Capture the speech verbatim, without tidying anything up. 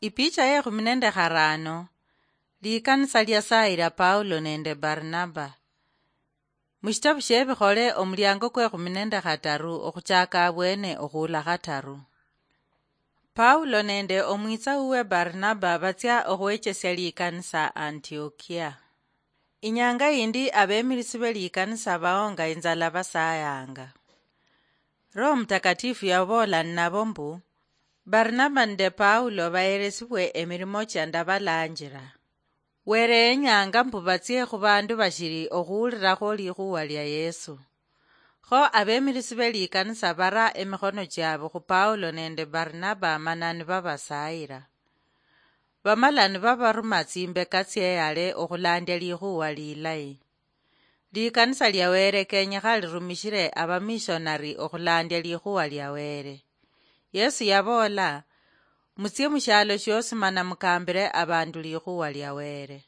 Ipicha ye khumi nende kharano. Likanisa liasaayira Paulo nende Barnaba. Mushitabu shie Bikhole, omuliango kwe khumi nende khataru, okhuchaka abwene okhuula khataru. Paulo nende omwitsa uwe Barnaba batsia okhwechesia likanisa Antiokia. Inyanga yindi, abemirisi be likanisa baonga inzala basayanga. Roho Mutakatifu yaboola ninabo mbu, Barnaba nende Paulo baheresibwe emirimo chia ndabalanjira. Were yenyanga mbu batsie khu bandu bashiri okhuwulirakho likhuwa lia Yesu. Kho abemirisi be likanisa bara emikhono chiabu khu Paulo nende Barnaba mana nibabasayira. Bamala nibabaruma tsimbeka tsieyale okhulandia likhuwa lilayi. Likanisa lia Were kenyekha lirumishire abamishonari okhulandia likhuwa lia Were. Yesu yaboola, "Mutsie mushialo shiosi mana mukambire abandu likhuwa lia Were."